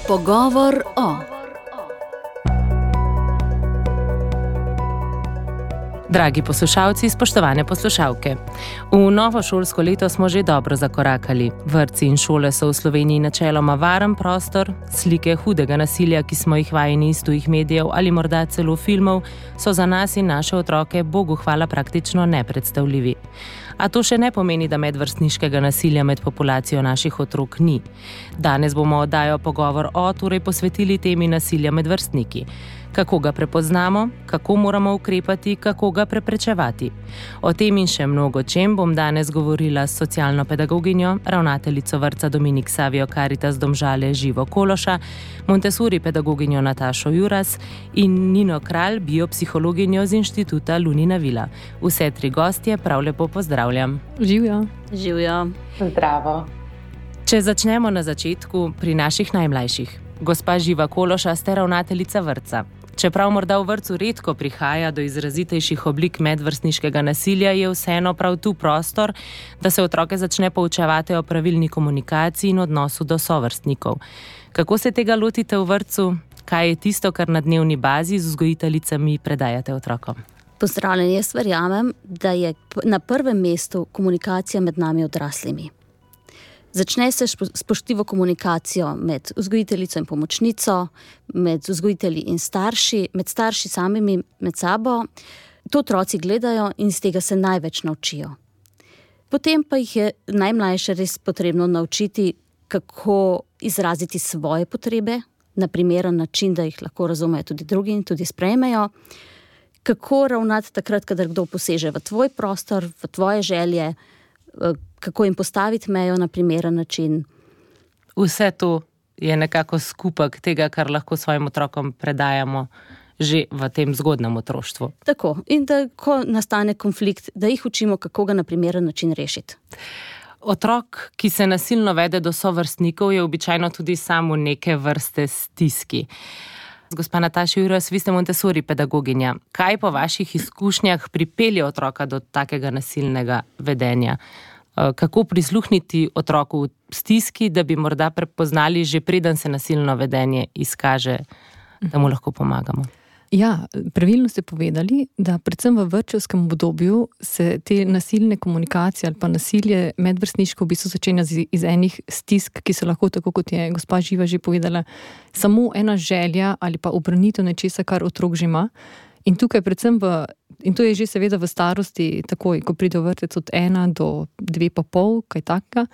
Pogovor o. Dragi poslušalci, spoštovane poslušalke. V novo šolsko leto smo že dobro zakorakali. Vrtci in šole so v Sloveniji načeloma varen prostor, slike hudega nasilja, ki smo jih vajeni iz tujih medijev ali morda celo filmov, so za nas in naše otroke, Bogu hvala, praktično nepredstavljivi. A to še ne pomeni, da medvrstniškega nasilja med populacijo naših otrok ni. Danes bomo oddajo Pogovor o torej posvetili temi nasilja med vrstniki. Kako ga prepoznamo, kako moramo ukrepati, kako ga preprečevati. O tem in še mnogo čem bom danes govorila s socialno pedagoginjo, ravnateljico vrtca Dominik Savio Caritas Domžale Živo Kološa, Montessori pedagoginjo Natašo Juras in Nino Kralj, biopsihologinjo z inštituta Lunina Vila. Vse tri gostje prav lepo pozdravljam. Živjo. Živjo. Zdravo. Če začnemo na začetku pri naših najmlajših. Gospa Živa Kološa, ste ravnateljica vrtca. Čeprav morda v vrtcu redko prihaja do izrazitejših oblik medvrstniškega nasilja, je vseeno prav tu prostor, da se otroke začne poučevati o pravilni komunikaciji in odnosu do sovrstnikov. Kako se tega lotite v vrtcu? Kaj je tisto, kar na dnevni bazi z vzgojiteljicami predajate otrokom? Pozdravljeni, jaz verjamem, da je na prvem mestu komunikacija med nami odraslimi. Začne se spoštljivo komunikacijo med vzgojiteljico in pomočnico, med vzgojitelji in starši, med starši samimi med sabo. To otroci gledajo in iz tega se največ naučijo. Potem pa jih je najmlajše res potrebno naučiti, kako izraziti svoje potrebe, na primeren način, da jih lahko razumejo tudi drugi in tudi sprejmejo. Kako ravnati takrat, kadar kdo poseže v tvoj prostor, v tvoje želje, kako jim postaviti mejo na primeren način. Vse to je nekako skupek tega, kar lahko svojim otrokom predajamo že v tem zgodnjem otroštvu. Tako, in da ko nastane konflikt, da jih učimo, kako ga na primeren način rešiti. Otrok, ki se nasilno vede do sovrstnikov, je običajno tudi sam v neke vrste stiski. Gospa Nataša Juras, vi ste Montessori pedagoginja. Kaj po vaših izkušnjah pripelje otroka do takega nasilnega vedenja? Kako prisluhniti otroku v stiski, da bi morda prepoznali že preden se nasilno vedenje izkaže, da mu lahko pomagamo? Ja, pravilno ste povedali, da predvsem v vrtčevskem obdobju se te nasilne komunikacije ali pa nasilje medvrstniško v bistvu začenja iz enih stisk, ki so lahko, tako kot je gospa Živa že povedala, samo ena želja ali pa obranitev nečesa, kar otrok že ima. In tukaj predvsem in to je že seveda v starosti takoj, ko pride v vrtec od 1 do 2,5, kaj takega.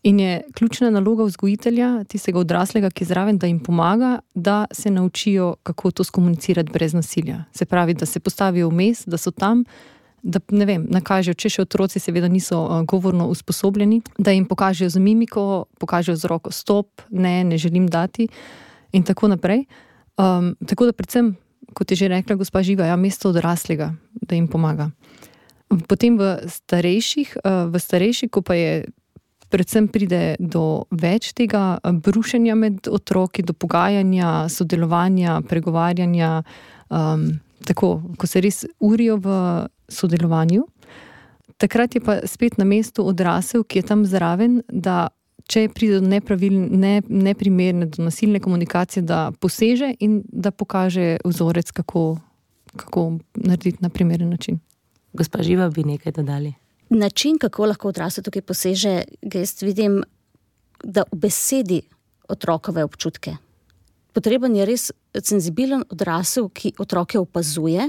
In je ključna naloga vzgojitelja, tistega odraslega, ki je zraven, da jim pomaga, da se naučijo, kako to skomunicirati brez nasilja. Se pravi, da se postavijo vmes, da so tam, da nakažejo, če še otroci seveda niso govorno usposobljeni, da jim pokažejo z mimiko, pokažejo z roko stop, ne želim dati in tako naprej. Tako da predvsem, kot je že rekla gospa Živa, mesto odraslega, da jim pomaga. Potem v starejših, ko pa je predvsem pride do več tega brušenja med otroki, do pogajanja, sodelovanja, pregovarjanja, tako, ko se res urijo v sodelovanju. Takrat je pa spet na mestu odrasel, ki je tam zraven, da če pride do neprimerne, do nasilne komunikacije, da poseže in da pokaže vzorec, kako narediti na primeren način. Gospa Živa, bi nekaj dodali? Način, kako lahko odrasel tukaj poseže, jaz vidim, da v besedi otrokove občutke. Potreben je res senzibilen odrasel, ki otroke opazuje,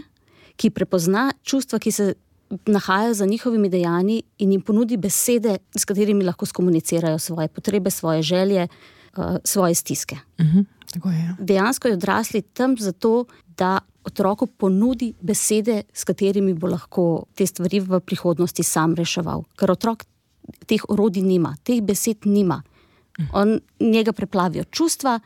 ki prepozna čustva, ki se nahajajo za njihovimi dejanji in jim ponudi besede, s katerimi lahko skomunicirajo svoje potrebe, svoje želje, svoje stiske. Tako je. Dejansko je odrasli tam zato, da otroku ponudi besede, s katerimi bo lahko te stvari v prihodnosti sam reševal. Ker otrok teh orodij nima, teh besed nima. Njega preplavijo čustva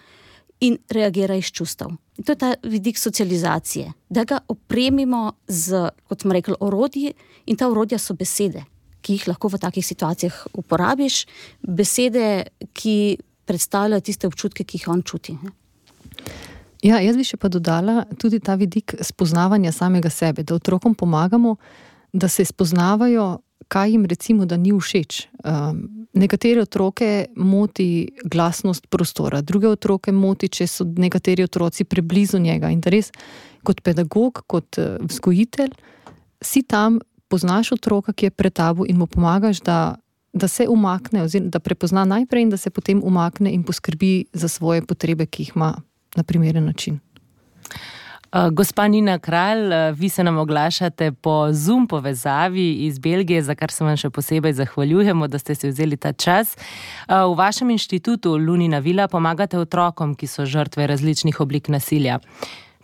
in reagira iz čustev. In to je ta vidik socializacije. Da ga opremimo z, kot smo rekli, orodji, in ta orodja so besede, ki jih lahko v takih situacijah uporabiš. Besede, ki predstavljajo tiste občutke, ki jih on čuti. Ja, jaz bi še pa dodala tudi ta vidik spoznavanja samega sebe, da otrokom pomagamo, da se spoznavajo kaj jim recimo, da ni všeč. Nekatere otroke moti glasnost prostora, druge otroke moti, če so nekateri otroci preblizu njega. In da res kot pedagog, kot vzgojitelj, si tam, poznaš otroka, ki je pred tabo in mu pomagaš, da se umakne, oziroma da prepozna najprej in da se potem umakne in poskrbi za svoje potrebe, ki jih ima na primeren način. Gospa Nina Kralj, vi se nam oglašate po Zoom povezavi iz Belgije, za kar se vam še posebej zahvaljujemo, da ste si vzeli ta čas. V vašem inštitutu Lunina vila pomagate otrokom, ki so žrtve različnih oblik nasilja.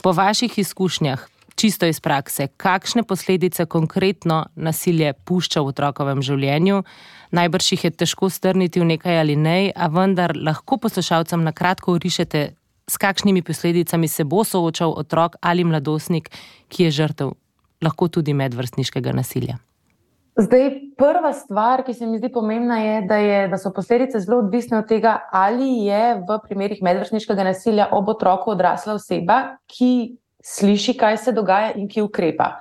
Po vaših izkušnjah, čisto iz prakse, kakšne posledice konkretno nasilje pušča v otrokovem življenju? Najbrž jih je težko strniti v nekaj ali nej, a vendar lahko poslušalcem na kratko orišete, s kakšnimi posledicami se bo soočal otrok ali mladostnik, ki je žrtev lahko tudi medvrstniškega nasilja. Zdaj, prva stvar, ki se mi zdi pomembna, je, da so posledice zelo odvisne od tega, ali je v primerih medvrstniškega nasilja ob otroku odrasla oseba, ki sliši, kaj se dogaja in ki ukrepa.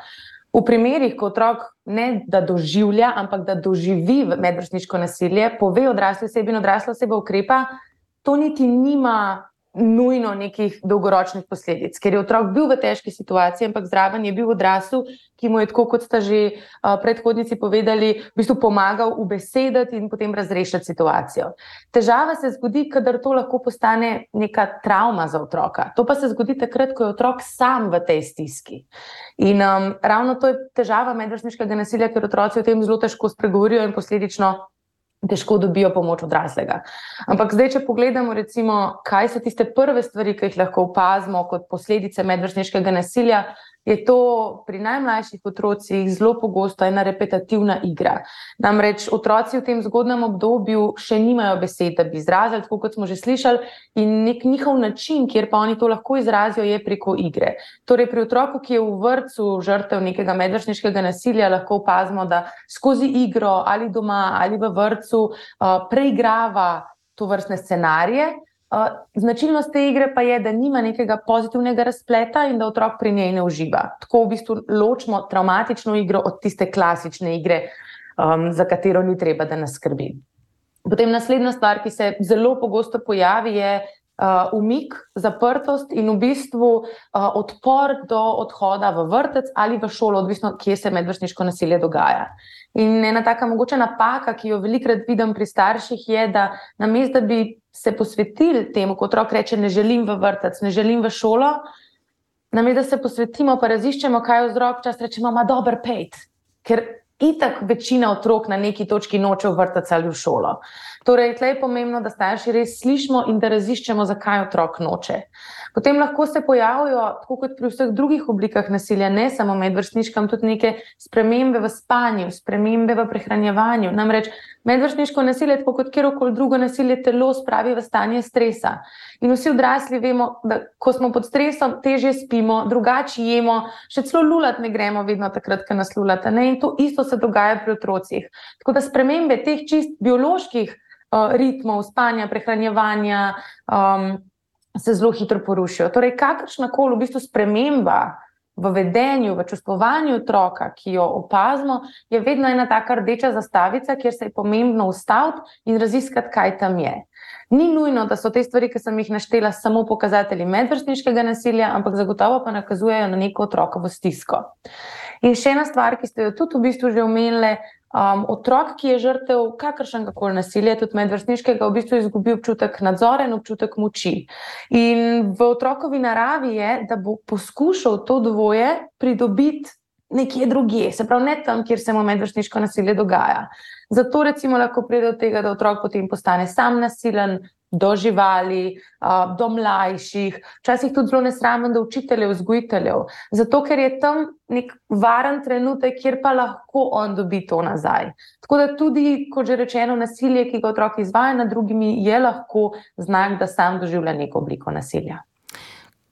V primerih, ko otrok ne da doživlja, ampak da doživi medvrstniško nasilje, pove odrasli osebi in odrasla oseba ukrepa, to niti nima nujno nekih dolgoročnih posledic, ker je otrok bil v težki situaciji, ampak zraven je bil odrasel, ki mu je, tako kot sta že predhodnici povedali, v bistvu pomagal ubesediti in potem razrešiti situacijo. Težava se zgodi, kadar to lahko postane neka travma za otroka. To pa se zgodi takrat, ko je otrok sam v tej stiski. In ravno to je težava medvrstniškega nasilja, ker otroci o tem zelo težko spregovorijo in posledično težko dobijo pomoč odraslega. Ampak zdaj, če pogledamo recimo, kaj so tiste prve stvari, ki jih lahko opazimo kot posledice medvrstniškega nasilja, je to pri najmlajših otrocih zelo pogosto ena repetitivna igra. Namreč otroci v tem zgodnem obdobju še nimajo besed, da bi izrazili, tako kot smo že slišali, in nek njihov način, kjer pa oni to lahko izrazijo, je preko igre. Torej pri otroku, ki je v vrtcu žrtev nekega medvrstniškega nasilja, lahko opazimo, da skozi igro ali doma ali v vrtcu preigrava tovrstne scenarije. Značilnost te igre pa je, da nima nekega pozitivnega razpleta in da otrok pri njej ne uživa. Tako v bistvu ločimo travmatično igro od tiste klasične igre, za katero ni treba, da nas skrbi. Potem naslednja stvar, ki se zelo pogosto pojavi, je umik, zaprtost in v bistvu odpor do odhoda v vrtec ali v šolo, odvisno, kje se medvrstniško nasilje dogaja. In ena taka mogoča napaka, ki jo velikokrat vidim pri starših, je, da namesto, da bi se posvetili temu, ko otrok reče, ne želim v vrtec, ne želim v šolo, namesto, da se posvetimo, pa raziščemo, kaj je vzrok, čas rečemo, ma dober pejt, ker itak večina otrok na neki točki noče v vrtec ali v šolo. Torej, tle je pomembno, da starši res slišimo in da raziščemo, zakaj otrok noče. Potem lahko se pojavijo, tako kot pri vseh drugih oblikah nasilja, ne samo medvrstniškem, tudi neke spremembe v spanju, spremembe v prehranjevanju. Namreč medvrstniško nasilje, tako kot kjerkoli drugo nasilje, telo spravi v stanje stresa. In vsi odrasli vemo, da ko smo pod stresom, težje spimo, drugače jemo, še celo lulat ne gremo vedno takrat, ko nas lulate. In to isto se dogaja pri otrocih. Tako da spremembe teh čist bioloških ritmov, spanja, prehranjevanja, se zelo hitro porušijo. Torej, kakršnakoli v bistvu sprememba v vedenju, v čustvovanju otroka, ki jo opazimo, je vedno ena taka rdeča zastavica, kjer se je pomembno ustaviti in raziskati, kaj tam je. Ni nujno, da so te stvari, ki sem jih naštela, samo pokazatelji medvrstniškega nasilja, ampak zagotovo pa nakazujejo na neko otrokovo stisko. In še ena stvar, ki ste jo tudi v bistvu že omenili, otrok, ki je žrtev kakršnegakoli nasilja, tudi medvrstniškega, v bistvu izgubi občutek nadzora in občutek moči. In v otrokovi naravi je, da bo poskušal to dvoje pridobiti nekje drugje, se pravi ne tam, kjer se mu medvrstniško nasilje dogaja. Zato recimo lahko pride do tega, da otrok potem postane sam nasilen, do živali, do mlajših, včasih tudi zelo nesramen do učiteljev, vzgojiteljev. Zato, ker je tam nek varen trenutek, kjer pa lahko on dobi to nazaj. Tako da tudi, kot že rečeno, nasilje, ki ga otrok izvaja nad drugimi, je lahko znak, da sam doživlja neko obliko nasilja.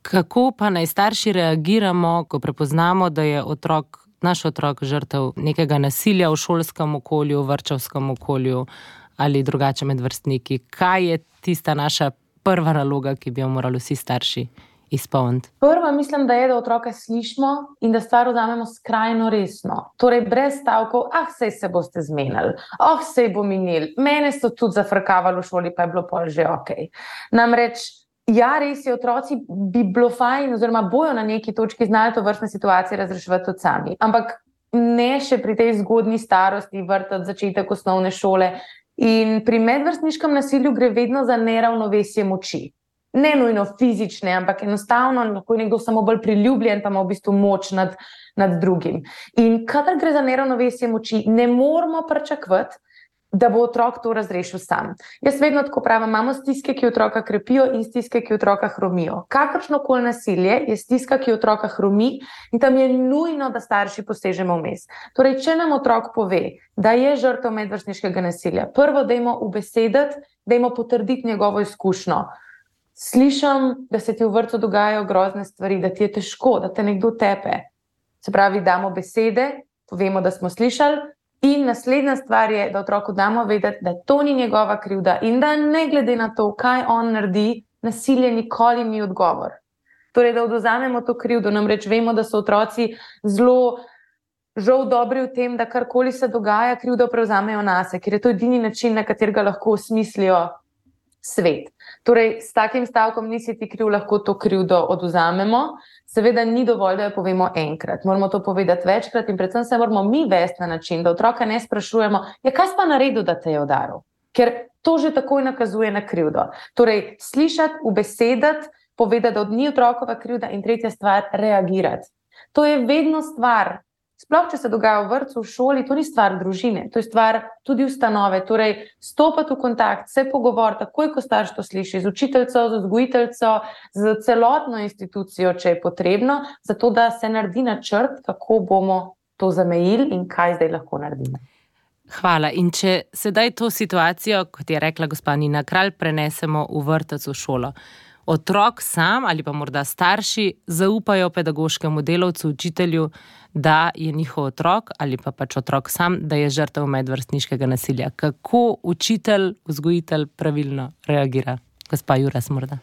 Kako pa naj starši reagiramo, ko prepoznamo, da je naš otrok žrtev nekega nasilja v šolskem okolju, vrtčevskem okolju ali drugače med vrstniki? Kaj je tista naša prva naloga, ki bi jo morali vsi starši izpolniti? Prva mislim, da je, da otroka slišimo in da stvar vzamemo skrajno resno. Torej, brez stavkov, sej se boste zmenili, sej bo minil, mene so tudi zafrkavali v šoli, pa je bilo pol že okej. Namreč, ja, res je, otroci bi bilo fajn, oziroma bojo na neki točki znali to vrstne situacije razreševati tudi sami. Ampak ne še pri tej zgodnji starosti, vrtec, začetek osnovne šole. In pri medvrstniškem nasilju gre vedno za neravnovesje moči. Ne nujno fizične, ampak enostavno lahko je nekdo samo bolj priljubljen, pa ima v bistvu moč nad drugim. In kadar gre za neravnovesje moči, ne moramo pričakovati, da bo otrok to razrešil sam. Jaz vedno tako pravim, imamo stiske, ki otroka krepijo in stiske, ki otroka hromijo. Kakršnokoli nasilje je stiska, ki otroka hromi in tam je nujno, da starši posežemo vmes. Torej, če nam otrok pove, da je žrtev medvrstniškega nasilja, prvo dajmo ubesediti, dajmo potrditi njegovo izkušnjo. Slišim, da se ti v vrtcu dogajajo grozne stvari, da ti je težko, da te nekdo tepe. Se pravi, damo besede, povemo, da smo slišali, in naslednja stvar je, da otroku damo vedeti, da to ni njegova krivda in da ne glede na to, kaj on naredi, nasilje nikoli ni odgovor. Torej, da odvzamemo to krivdo, namreč vemo, da so otroci zelo žal dobri v tem, da karkoli se dogaja, krivdo prevzamejo nase, ker je to edini način, na katerega lahko osmislijo svet. Torej, s takim stavkom nisi ti kriv, lahko to krivdo odvzamemo. Seveda ni dovolj, da jo povemo enkrat. Moramo to povedati večkrat in predvsem se moramo mi vesti na način, da otroka ne sprašujemo, kaj si pa naredil, da te je udaril? Ker to že takoj nakazuje na krivdo. Torej, slišati, ubesedati, povedati, da ni otrokova krivda in tretja stvar, reagirati. To je vedno stvar. Sploh, če se dogaja v vrtcu, v šoli, to ni stvar družine, to je stvar tudi ustanove. Torej, stopati v kontakt, se pogovoriti, takoj, ko starš to sliši, z učiteljico, z vzgojiteljico, z celotno institucijo, če je potrebno, zato da se naredi načrt, kako bomo to zamejili in kaj zdaj lahko naredimo. Hvala. In če sedaj to situacijo, kot je rekla gospa Nina Kralj, prenesemo v vrtec, v šolo. Otrok sam ali pa morda starši zaupajo pedagoškemu delavcu, učitelju, da je njihov otrok ali pa pač otrok sam, da je žrtev medvrstniškega nasilja. Kako učitelj, vzgojitelj pravilno reagira? Gospa Juras morda.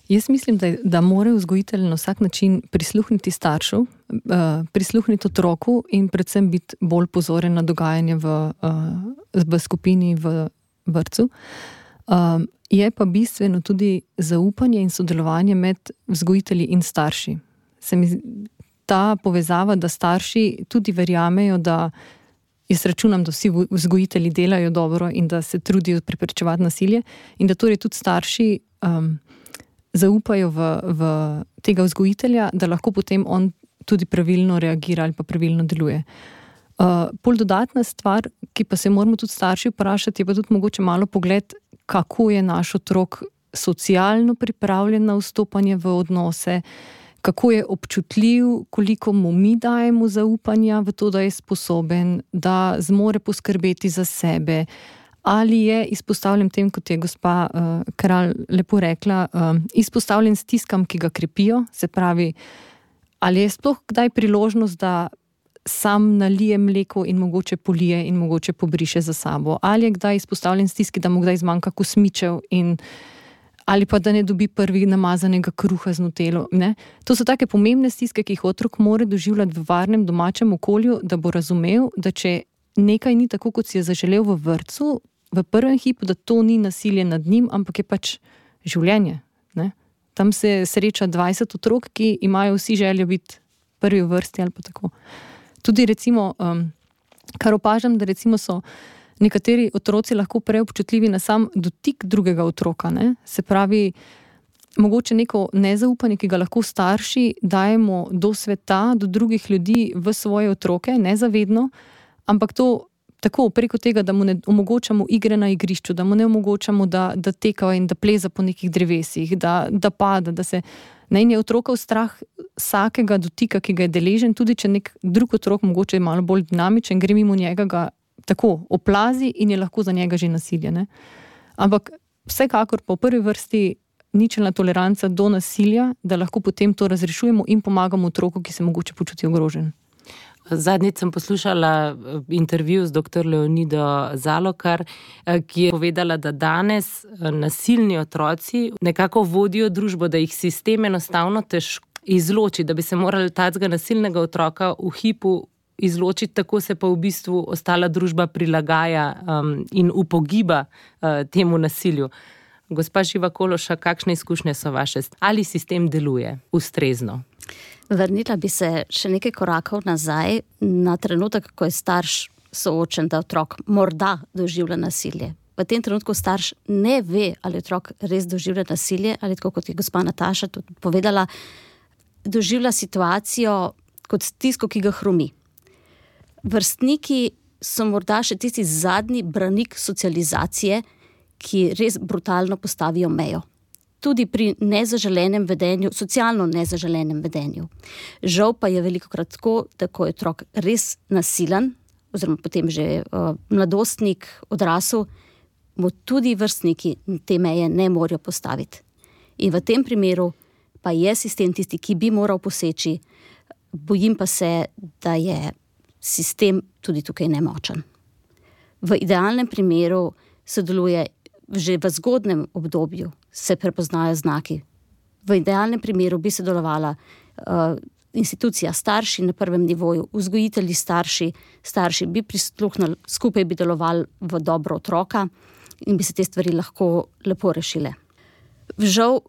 Jaz mislim, da mora vzgojitelj na vsak način prisluhniti staršu, prisluhniti otroku in predvsem biti bolj pozoren na dogajanje v skupini v vrtcu. Je pa bistveno tudi zaupanje in sodelovanje med vzgojitelji in starši. Ta povezava, da starši tudi verjamejo, da jaz računam, da vsi vzgojitelji delajo dobro in da se trudijo preprečevati nasilje in da torej tudi starši zaupajo v tega vzgojitelja, da lahko potem on tudi pravilno reagira ali pa pravilno deluje. Pol dodatna stvar, ki pa se moramo tudi starši vprašati, je pa tudi mogoče malo pogled, kako je naš otrok socialno pripravljen na vstopanje v odnose, kako je občutljiv, koliko mu mi dajemo zaupanja v to, da je sposoben, da zmore poskrbeti za sebe, ali je izpostavljen tem, kot je gospa Kralj lepo rekla, izpostavljen stiskam, ki ga krepijo, se pravi, ali je sploh kdaj priložnost, da sam nalije mleko in mogoče polije in mogoče pobriše za sabo. Ali je kdaj izpostavljen stiski, da mu kdaj zmanjka kosmičev ali pa da ne dobi prvi namazanega kruha z nutelo. Ne? To so take pomembne stiske, ki jih otrok mora doživljati v varnem domačem okolju, da bo razumel, da če nekaj ni tako, kot si je zaželel v vrtcu, v prvem hipu, da to ni nasilje nad njim, ampak je pač življenje. Ne? Tam se sreča 20 otrok, ki imajo vsi željo biti prvi v vrsti ali pa tako. Tudi recimo, kar opažam, da recimo so nekateri otroci lahko preobčutljivi na sam dotik drugega otroka. Ne? Se pravi, mogoče neko nezaupanje, ki ga lahko starši dajemo do sveta, do drugih ljudi v svoje otroke, nezavedno, ampak to tako preko tega, da mu ne omogočamo igre na igrišču, da mu ne omogočamo, da teka in da pleza po nekih drevesih, da pada, da se... In je otrokov strah vsakega dotika, ki ga je deležen, tudi če nek drug otrok mogoče je malo bolj dinamičen, gre mimo njega, ga tako oplazi in je lahko za njega že nasilje. Ne? Ampak vsekakor po prvi vrsti ničelna toleranca do nasilja, da lahko potem to razrešujemo in pomagamo otroku, ki se mogoče počuti ogrožen. Zadnjič sem poslušala intervju z dr. Leonido Zalokar, ki je povedala, da danes nasilni otroci nekako vodijo družbo, da jih sistem enostavno težko izloči, da bi se morali tacega nasilnega otroka v hipu izločiti, tako se pa v bistvu ostala družba prilagaja in upogiba temu nasilju. Gospa Živa Kološa, kakšne izkušnje so vaše? Ali sistem deluje ustrezno? Vrnila bi se še nekaj korakov nazaj na trenutek, ko je starš soočen, da otrok morda doživlja nasilje. V tem trenutku starš ne ve, ali otrok res doživlja nasilje, ali tako kot je gospa Nataša tudi povedala, doživlja situacijo kot stisko, ki ga hromi. Vrstniki so morda še tisti zadnji branik socializacije, ki res brutalno postavijo mejo. Tudi pri nezaželenem vedenju, socialno nezaželenem vedenju. Žal pa je velikokrat tako, da ko je otrok res nasilen, oziroma potem že mladostnik, odrasel, mu tudi vrstniki te meje ne morejo postaviti. In v tem primeru pa je sistem tisti, ki bi moral poseči, bojim pa se, da je sistem tudi tukaj nemočen. V idealnem primeru sodeluje že v zgodnem obdobju, se prepoznajo znaki. V idealnem primeru bi sodelovala institucija starši na prvem nivoju, vzgojitelji starši bi prisluhnili, skupaj bi delovali v dobro otroka in bi se te stvari lahko lepo rešile. Žal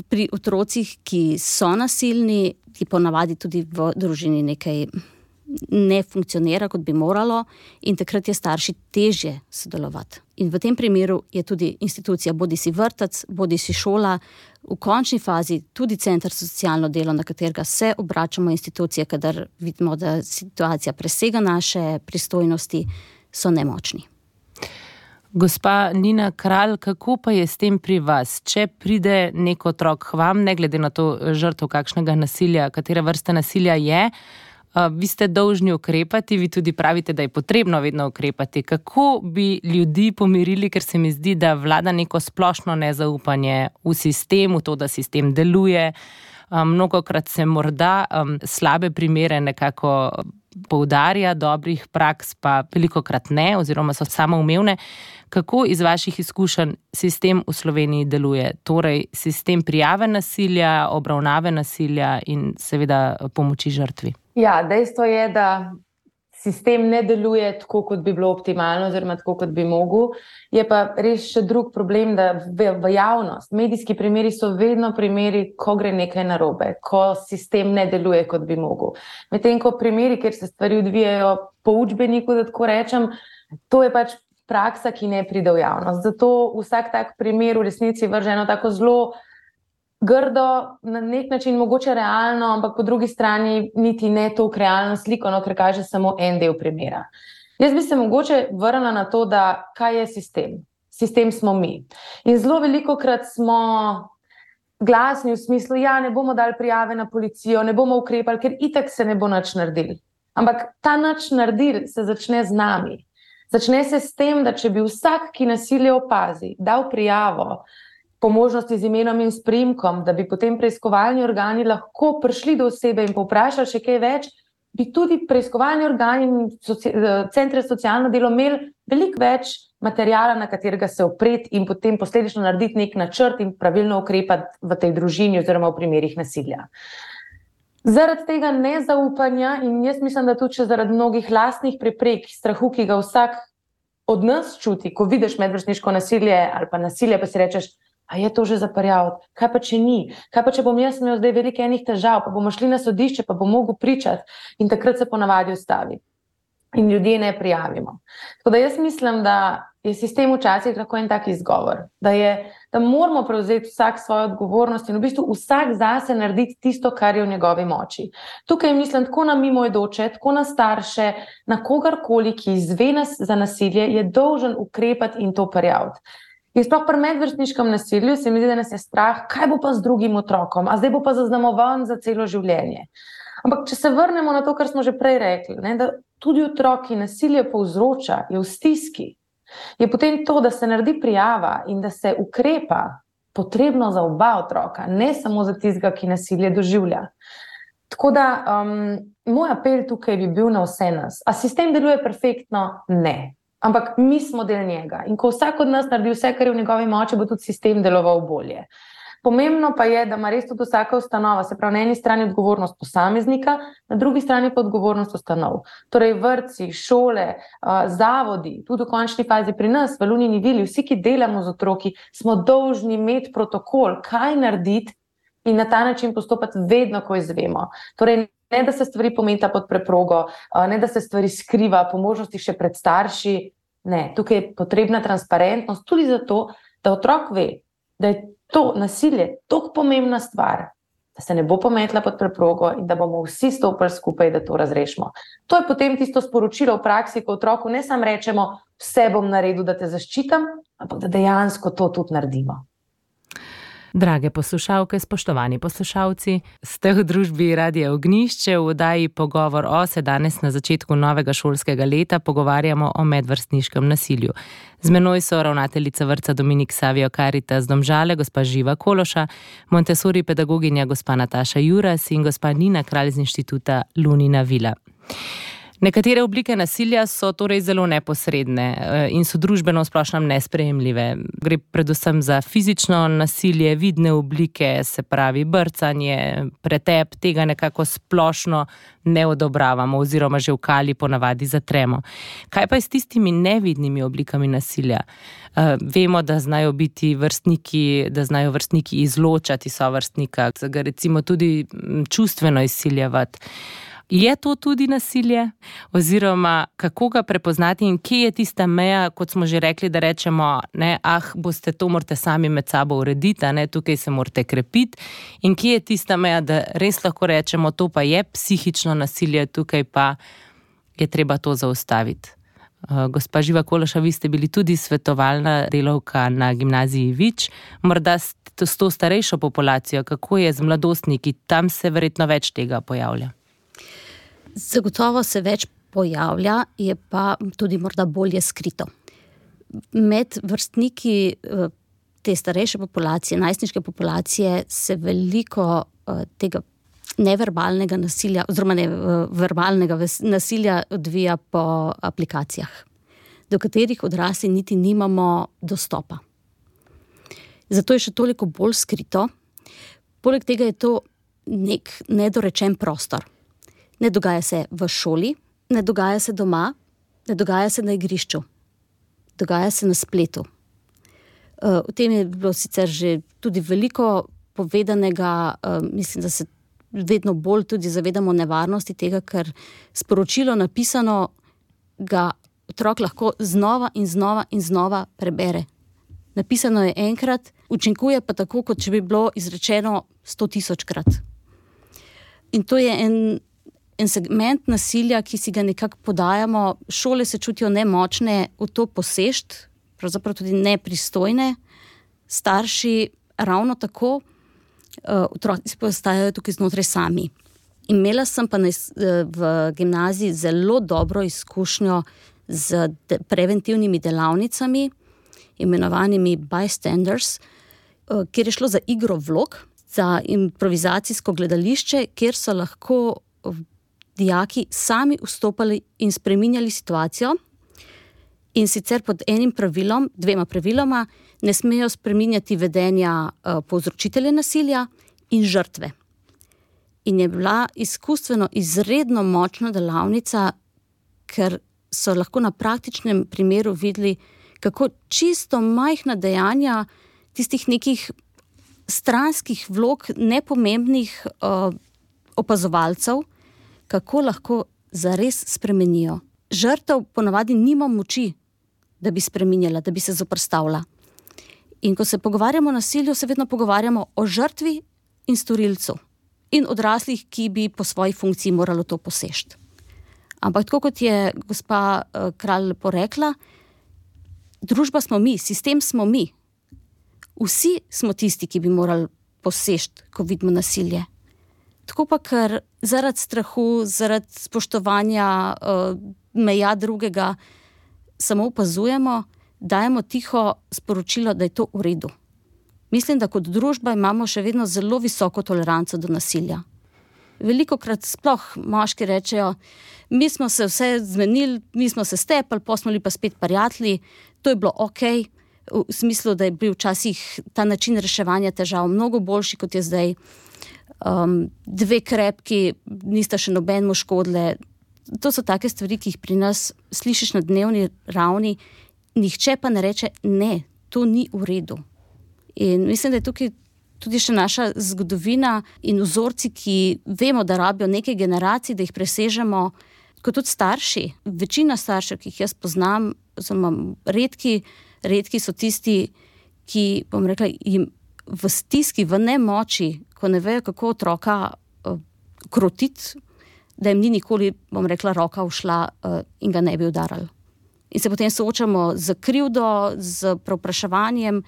pri otrocih, ki so nasilni, ki ponavadi tudi v družini nekaj ne funkcionira, kot bi moralo, in takrat je starši težje sodelovati. In v tem primeru je tudi institucija, bodisi vrtec, bodisi šola, v končni fazi tudi center za socialno delo, na katerega se obračamo institucije, kadar vidimo, da situacija presega naše pristojnosti, so nemočni. Gospa Nina Kralj, kako pa je s tem pri vas? Če pride nek otrok k vam, ne glede na to žrtev kakšnega nasilja, katera vrsta nasilja je, vi ste dolžni ukrepati, vi tudi pravite, da je potrebno vedno ukrepati. Kako bi ljudi pomirili, ker se mi zdi, da vlada neko splošno nezaupanje v sistem, v to, da sistem deluje. Mnogokrat se morda slabe primere nekako poudarja, dobrih praks pa velikokrat ne, oziroma so samoumevne. Kako iz vaših izkušenj sistem v Sloveniji deluje? Torej, sistem prijave nasilja, obravnave nasilja in seveda pomoči žrtvi. Ja, dejstvo je, da sistem ne deluje tako, kot bi bilo optimalno, oziroma tako, kot bi mogel. Je pa res še drug problem, da v javnost, medijski primeri so vedno primeri, ko gre nekaj narobe, ko sistem ne deluje, kot bi mogel. Medtem ko primeri, kjer se stvari odvijajo po učbeniku, da tako rečem, to je pač praksa, ki ne pride v javnost. Zato vsak tak primer v resnici vrže eno tako zelo grdo, na nek način mogoče realno, ampak po drugi strani niti ne toliko realno sliko, no, ker kaže samo en del primera. Jaz bi se mogoče vrnila na to, da kaj je sistem. Sistem smo mi. In zelo velikokrat smo glasni v smislu, ja, ne bomo dali prijave na policijo, ne bomo ukrepali, ker itak se ne bo nič naredili. Ampak ta nič naredili se začne z nami. Začne se s tem, da če bi vsak, ki nasilje opazi, dal prijavo, po možnosti z imenom in s priimkom, da bi potem preiskovalni organi lahko prišli do osebe in povprašali še kaj več, bi tudi preiskovalni organi in centre za socialno delo imeli veliko več materijala, na katerega se opreti in potem posledično narediti nek načrt in pravilno ukrepati v tej družini oziroma v primerih nasilja. Zaradi tega nezaupanja in jaz mislim, da tudi zaradi mnogih lastnih preprek, strahu, ki ga vsak od nas čuti, ko vidiš medvrstniško nasilje ali pa nasilje, pa si rečeš, a je to že zaparjavati? Kaj pa če ni? Kaj pa če bom jaz imel zdaj veliko enih težav, pa bomo šli na sodišče, pa bom mogel pričati in takrat se ponavadi ustavi. In ljudje ne prijavimo. Tako da jaz mislim, da je sistem včasih lahko en tak izgovor, da moramo prevzeti vsak svojo odgovornost in v bistvu vsak zase narediti tisto, kar je v njegovi moči. Tukaj mislim tako na mimoidoče, tako na starše, na kogarkoli, ki izve za nasilje, je dolžen ukrepati in to prijaviti. In sploh pri medvrstniškem nasilju se mi zdi, da nas je strah, kaj bo pa z drugim otrokom, a zdaj bo pa zaznamovan za celo življenje. Ampak če se vrnemo na to, kar smo že prej rekli, ne, da tudi otrok, ki nasilje povzroča, je v stiski, je potem to, da se naredi prijava in da se ukrepa, potrebno za oba otroka, ne samo za tistega, ki nasilje doživlja. Tako da moj apel tukaj bi bil na vse nas. A sistem deluje perfektno? Ne. Ampak mi smo del njega. In ko vsak od nas naredi vse, kar je v njegovi moči, bo tudi sistem deloval bolje. Pomembno pa je, da ima res tudi vsaka ustanova, se pravi na eni strani odgovornost posameznika, na drugi strani pa odgovornost ustanov. Torej vrtci, šole, zavodi, tudi v končni fazi pri nas, v Lunini vili, vsi, ki delamo z otroki, smo dolžni imeti protokol, kaj narediti in na ta način postopati vedno, ko izvemo. Torej ne, da se stvari pometa pod preprogo, ne, da se stvari skriva, po možnosti še pred starši. Ne, tukaj je potrebna transparentnost tudi zato, da otrok ve, da je to nasilje tako pomembna stvar, da se ne bo pometla pod preprogo in da bomo vsi stopili skupaj, da to razrešimo. To je potem tisto sporočilo v praksi, ko otroku ne samo rečemo, vse bom naredil, da te zaščitam, ampak da dejansko to tudi naredimo. Drage poslušalke, spoštovani poslušalci, ste v družbi Radia Ognjišče. V oddaji Pogovor o se danes na začetku novega šolskega leta pogovarjamo o medvrstniškem nasilju. Z menoj so ravnateljica vrtca Dominik Savio Caritas Domžale, gospa Živa Kološa, Montessori pedagoginja gospa Nataša Juras in gospa Nina Kralj z inštituta Lunina vila. Nekatere oblike nasilja so torej zelo neposredne in so družbeno v splošnem nesprejemljive. Gre predvsem za fizično nasilje, vidne oblike, se pravi brcanje, pretep, tega nekako splošno ne odobravamo oziroma že v kali ponavadi zatremo. Kaj pa je s tistimi nevidnimi oblikami nasilja? Vemo, da znajo vrstniki izločati sovrstnika, ga recimo tudi čustveno izsiljevati. Je to tudi nasilje? Oziroma, kako ga prepoznati in kje je tista meja, kot smo že rekli, da rečemo, ne, to morate sami med sabo urediti, ne, tukaj se morate krepiti. In kje je tista meja, da res lahko rečemo, to pa je psihično nasilje, tukaj pa je treba to zaustaviti. Gospa Živa Kološa, vi ste bili tudi svetovalna delavka na gimnaziji Vič. Morda s to starejšo populacijo, kako je z mladostniki, tam se verjetno več tega pojavlja. Zagotovo se več pojavlja, je pa tudi morda bolje skrito. Med vrstniki te starejše populacije, najstniške populacije, se veliko tega neverbalnega nasilja, oziroma verbalnega nasilja odvija po aplikacijah, do katerih odrasli niti nimamo dostopa. Zato je še toliko bolj skrito. Poleg tega je to nek nedorečen prostor. Ne dogaja se v šoli, ne dogaja se doma, ne dogaja se na igrišču. Dogaja se na spletu. O tem je bilo sicer že tudi veliko povedanega, mislim, da se vedno bolj tudi zavedamo nevarnosti tega, ker sporočilo napisano ga otrok lahko znova in znova in znova prebere. Napisano je enkrat, učinkuje pa tako, kot če bi bilo izrečeno 100.000-krat. In to je en segment nasilja, ki si ga nekako podajamo. Šole se čutijo nemočne v to posešt, pravzaprav tudi nepristojne. Starši ravno tako, otroci postajajo tukaj znotraj sami. Imela sem pa v gimnaziji zelo dobro izkušnjo z preventivnimi delavnicami, imenovanimi bystanders, kjer je šlo za igro vlog, za improvizacijsko gledališče, kjer so lahko dijaki sami vstopali in spreminjali situacijo, in sicer pod dvema praviloma, ne smejo spreminjati vedenja povzročitelja nasilja in žrtve. In je bila izkustveno izredno močna delavnica, ker so lahko na praktičnem primeru videli, kako čisto majhna dejanja tistih nekih stranskih vlog, nepomembnih opazovalcev, kako lahko zares spremenijo. Žrtev ponavadi nima moči, da bi spreminjala, da bi se zoperstavila. In ko se pogovarjamo o nasilju, se vedno pogovarjamo o žrtvi in storilcu in odraslih, ki bi po svoji funkciji moralo to posežti. Ampak tako kot je gospa Kralj lepo rekla, družba smo mi, sistem smo mi. Vsi smo tisti, ki bi morali posežti, ko vidimo nasilje. Tako pa, ker zaradi strahu, zaradi spoštovanja meja drugega samo opazujemo, dajemo tiho sporočilo, da je to v redu. Mislim, da kot družba imamo še vedno zelo visoko toleranco do nasilja. Velikokrat sploh moški rečejo, mi smo se vse zmenili, mi smo se stepali, pa smo bili pa spet prijatelji, to je bilo okej, v smislu, da je bil včasih ta način reševanja težav mnogo boljši, kot je zdaj. Dve krepki, nista še nobenemu škodile. To so take stvari, ki jih pri nas slišiš na dnevni ravni, nihče pa ne reče, ne, to ni v redu. In mislim, da je tukaj tudi še naša zgodovina in vzorci, ki vemo, da rabijo nekaj generacij, da jih presežemo, kot tudi starši. Večina staršev, ki jih jaz poznam, redki so tisti, ki, bom rekla, jim v stiski, v nemoči, ko ne vejo, kako otroka krotiti, da jim ni nikoli, bom rekla, roka ušla in ga ne bi udarali. In se potem soočamo z krivdo, z preopraševanjem,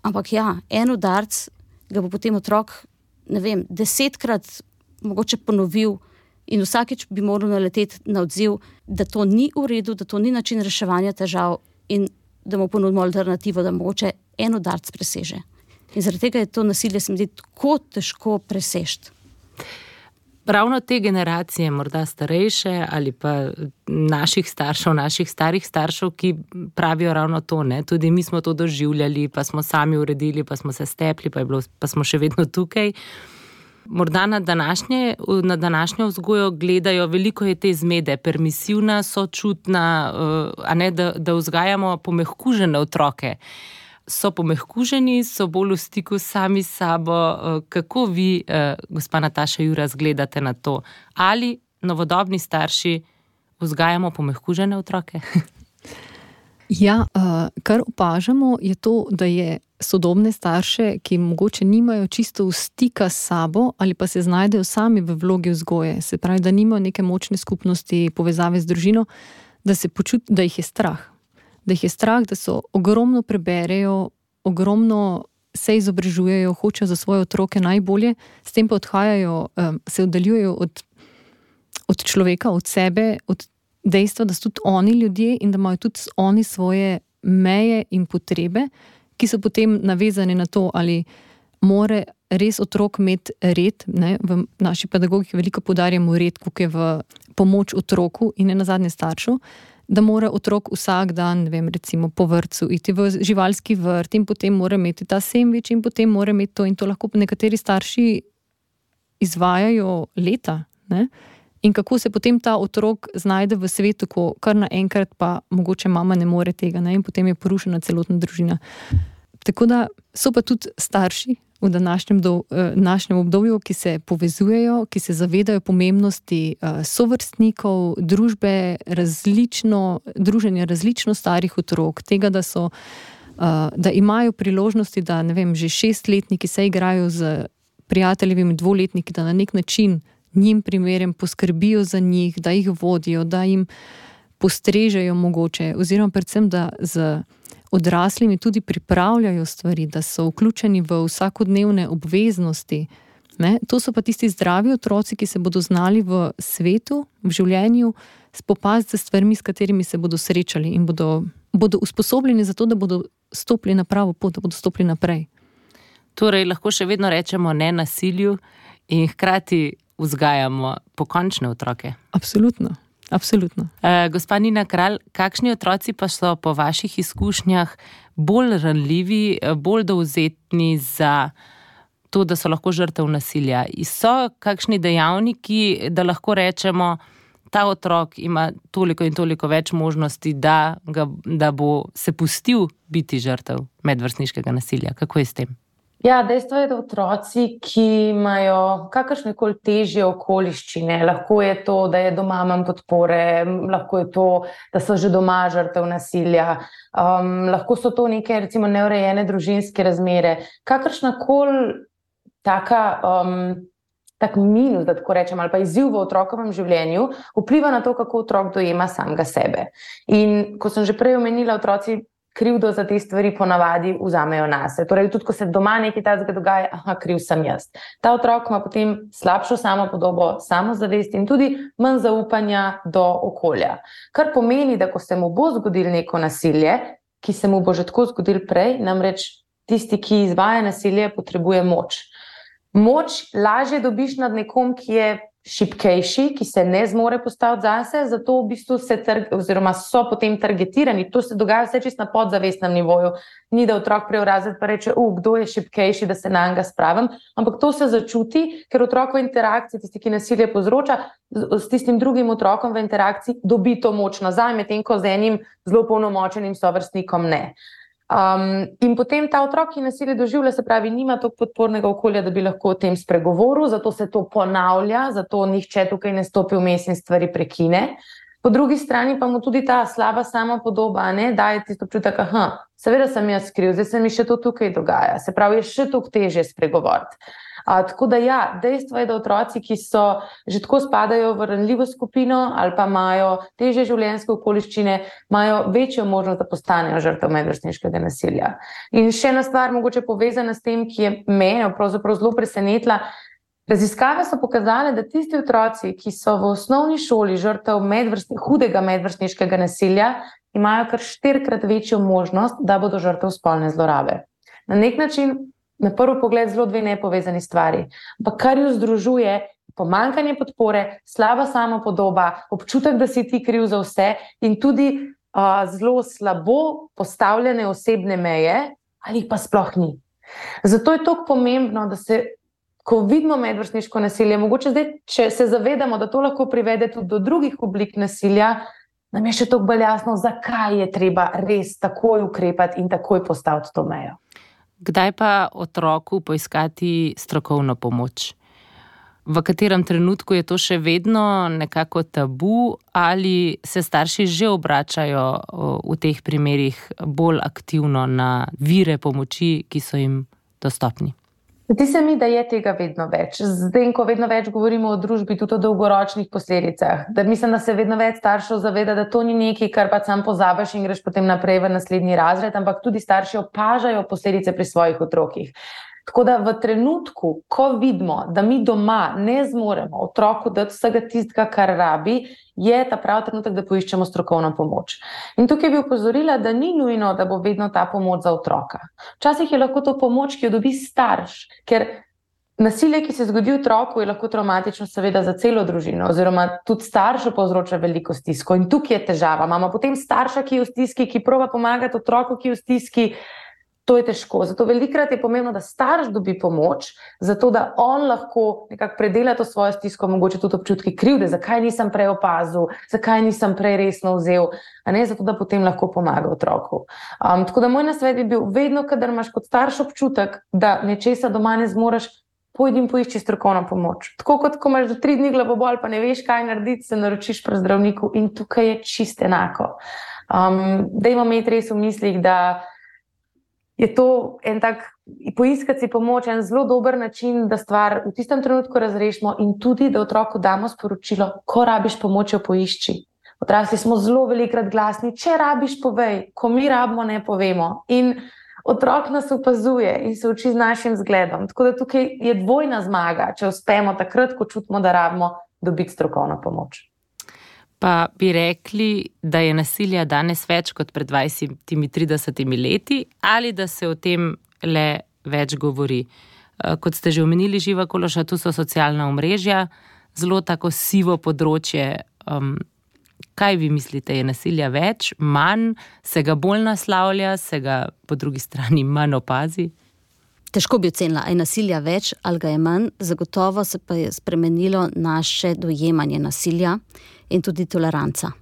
ampak ja, en udarc ga bo potem otrok, ne vem, 10-krat mogoče ponovil in vsakič bi moral naleteti na odziv, da to ni v redu, da to ni način reševanja težav in da mu ponudimo alternativo, da mogoče en udarc preseže. In zaradi tega je to nasilje, se mi zdi, tako težko presežiti. Ravno te generacije, morda starejše ali pa naših staršev, naših starih staršev, ki pravijo ravno to, ne? Tudi mi smo to doživljali, pa smo sami uredili, pa smo se stepli, pa smo še vedno tukaj. Morda na današnjo vzgojo gledajo, veliko je te zmede, permisivna, sočutna, a ne, da vzgajamo pomehkužene otroke. So pomehkuženi, so bolj v stiku sami s sabo. Kako vi, gospa Nataša Juras, gledate na to? Ali novodobni starši vzgajamo pomehkužene otroke? Ja, kar opažamo, je to, da je sodobne starše, ki mogoče nimajo čisto stika s sabo ali pa se znajdejo sami v vlogi vzgoje, se pravi, da nimajo neke močne skupnosti, povezave z družino, da se počutijo, da jih je strah. Da jih je strah, da so ogromno preberejo, ogromno se izobražujejo, hočejo za svoje otroke najbolje, s tem pa odhajajo, se oddaljujejo od človeka, od sebe, od dejstva, da so tudi oni ljudje in da imajo tudi oni svoje meje in potrebe, ki so potem navezane na to, ali more res otrok imeti red, ne? V naši pedagogiki veliko poudarjamo red, kako je v pomoč otroku in ne nazadnje staršu, da mora otrok vsak dan, ne vem, recimo po vrtcu iti v živalski vrt in potem mora imeti ta sendvič in potem mora imeti to in to lahko nekateri starši izvajajo leta, ne? In kako se potem ta otrok znajde v svetu, ko kar naenkrat pa mogoče mama ne more tega, ne? In potem je porušena celotna družina. Tako da so pa tudi starši v današnjem obdobju, ki se povezujejo, ki se zavedajo pomembnosti sovrstnikov, druženja različno starih otrok, tega, da imajo priložnosti, da ne vem, že 6-letniki se igrajo z prijateljevimi 2-letniki, da na nek način njim primerem poskrbijo za njih, da jih vodijo, da jim postrežejo mogoče, oziroma predvsem, da z odraslimi tudi pripravljajo stvari, da so vključeni v vsakodnevne obveznosti. Ne? To so pa tisti zdravi otroci, ki se bodo znali v svetu, v življenju spopasti z stvarmi, s katerimi se bodo srečali in bodo usposobljeni za to, da bodo stopili na pravo pot, da bodo stopili naprej. Torej, lahko še vedno rečemo ne nasilju in hkrati vzgajamo pokončne otroke. Absolutno. Absolutno. Gospa Nina Kralj, kakšni otroci pa so po vaših izkušnjah bolj ranljivi, bolj dovzetni za to, da so lahko žrtev nasilja? So kakšni dejavniki, da lahko rečemo, ta otrok ima toliko in toliko več možnosti, da bo se pustil biti žrtev medvrstniškega nasilja? Kako je s tem? Ja, dejstvo je, da otroci, ki imajo kakršnekoli težje okoliščine, lahko je to, da je doma manj podpore, lahko je to, da so že doma žrtev nasilja, lahko so to neke recimo neurejene družinske razmere, kakršnakoli tak minus, da tako rečem, ali pa izziv v otrokovem življenju, vpliva na to, kako otrok dojema samega sebe. In ko sem že prej omenila, otroci krivdo za te stvari ponavadi vzamejo nase. Torej, tudi ko se doma nekaj takega dogaja, kriv sem jaz. Ta otrok ima potem slabšo samopodobo, samozavest in tudi manj zaupanja do okolja. Kar pomeni, da ko se mu bo zgodilo neko nasilje, ki se mu bo že tako zgodilo prej, namreč tisti, ki izvaja nasilje, potrebuje moč. Moč lažje dobiš nad nekom, ki je šibkejši, ki se ne zmore postaviti zase, zato v bistvu oziroma so potem targetirani. To se dogaja vse čisto na podzavestnem nivoju. Ni, da otrok prije v razred pa reče, kdo je šibkejši, da se na njega spravim, ampak to se začuti, ker otrok v interakciji, tisti, ki nasilje povzroča, s tistim drugim otrokom v interakciji dobi to moč nazaj, medtem ko z enim zelo polnomočenim sovrstnikom ne. In potem ta otrok, ki nasilje doživlja, se pravi, nima toliko podpornega okolja, da bi lahko o tem spregovoril, zato se to ponavlja, zato nihče tukaj ne stopi vmes in stvari prekine. Po drugi strani pa mu tudi ta slaba samopodoba daje tisto občutek, seveda sem jaz kriv, zdaj se mi še to tukaj dogaja, se pravi, je še toliko težje spregovoriti. Tako da dejstvo je, da otroci, ki so že tako spadajo v ranljivo skupino ali pa imajo težje življenjske okoliščine, imajo večjo možnost, da postanejo žrtev medvrstniškega nasilja. In še ena stvar, mogoče povezana s tem, ki je mene pravzaprav zelo presenetila. Raziskave so pokazale, da tisti otroci, ki so v osnovni šoli žrtev hudega medvrstniškega nasilja, imajo kar 4-krat večjo možnost, da bodo žrtev spolne zlorabe. Na nek način na prvi pogled zelo dve nepovezani stvari, ampak kar ju združuje pomanjkanje podpore, slaba samopodoba, občutek, da si ti kriv za vse in tudi zelo slabo postavljene osebne meje, ali pa sploh ni. Zato je toliko pomembno, da se, ko vidimo medvrstniško nasilje, mogoče zdaj, če se zavedamo, da to lahko privede tudi do drugih oblik nasilja, nam je še toliko bolj jasno, zakaj je treba res takoj ukrepati in takoj postaviti to mejo. Kdaj pa otroku poiskati strokovno pomoč? V katerem trenutku je to še vedno nekako tabu ali se starši že obračajo v teh primerih bolj aktivno na vire pomoči, ki so jim dostopni? Zdi se mi, da je tega vedno več. Zdaj, ko vedno več govorimo o družbi, tudi o dolgoročnih posledicah, da mislim, da se vedno več staršev zaveda, da to ni nekaj, kar pa sam pozabiš in greš potem naprej v naslednji razred, ampak tudi starši opažajo posledice pri svojih otrokih. Tako da v trenutku, ko vidimo, da mi doma ne zmoremo otroku dati vsega tistega, kar rabi, je ta pravi trenutek, da poiščemo strokovno pomoč. In tukaj bi opozorila, da ni nujno, da bo vedno ta pomoč za otroka. Včasih je lahko to pomoč, ki jo dobi starš, ker nasilje, ki se zgodi otroku, je lahko traumatično seveda za celo družino, oziroma tudi staršu povzroča veliko stisko. In tukaj je težava. Imamo potem starša, ki je v stiski, ki proba pomagati otroku, ki je v stiski. To je težko. Zato velikokrat je pomembno, da starš dobi pomoč, zato da on lahko nekako predela to svojo stisko, mogoče tudi občutki krivde, zakaj nisem prej opazil, zakaj nisem prej resno vzel, zato da potem lahko pomaga otroku. Tako da moj nasvet bi bil, vedno, kadar imaš kot starš občutek, da nečesa doma ne zmoreš, pojdi in poišči strokovno pomoč. Tako kot ko imaš do 3 dni glavobol, pa ne veš, kaj narediti, se naročiš pri zdravniku in tukaj je čisto enako. Dajmo imeti res v mislih, da je to en tak, poiskati si pomoč, en zelo dober način, da stvar v tistem trenutku razrešimo in tudi, da otroku damo sporočilo, ko rabiš pomoč, jo poišči. Odrasli smo zelo velikokrat glasni, če rabiš, povej, ko mi rabimo, ne povemo. In otrok nas opazuje in se uči z našim zgledom. Tako da tukaj je dvojna zmaga, če uspemo takrat, ko čutimo, da rabimo, dobiti strokovno pomoč. Pa bi rekli, da je nasilja danes več kot pred 20-30 leti ali da se o tem le več govori. Kot ste že omenili, Živa Kološa, tu so socialna omrežja, zelo tako sivo področje. Kaj vi mislite, je nasilja več, manj, se ga bolj naslavlja, se ga po drugi strani manj opazi? Težko bi ocenila, je nasilja več ali ga je manj, zagotovo se pa je spremenilo naše dojemanje nasilja in tudi toleranca.